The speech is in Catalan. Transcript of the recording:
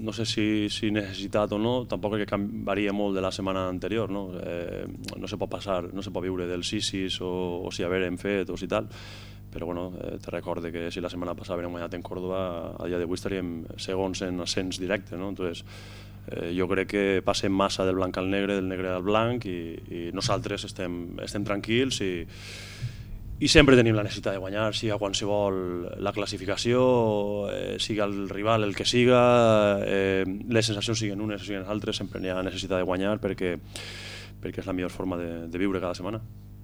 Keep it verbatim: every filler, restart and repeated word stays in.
no sé si, si necessitat o no, tampoc crec que varia molt de la setmana anterior, no? Eh, no se pot passar, no se pot viure del sis sis o, o si haver hem fet o si tal, però bueno, eh, te recorde que si la setmana passada havíem guanyat en Córdoba, a dia d'avui estaríem segons en ascens directe, no? Entonces, eh, jo crec que passem massa del blanc al negre, del negre al blanc, i, i nosaltres estem, estem tranquils i i sempre tenim la necessitat de guanyar, siga qualsevol la classificació, eh, siga el rival el que siga, eh, les sensacions siguin unes o siguin altres, sempre hi ha necessitat de guanyar perquè, perquè és la millor forma de, de viure cada setmana.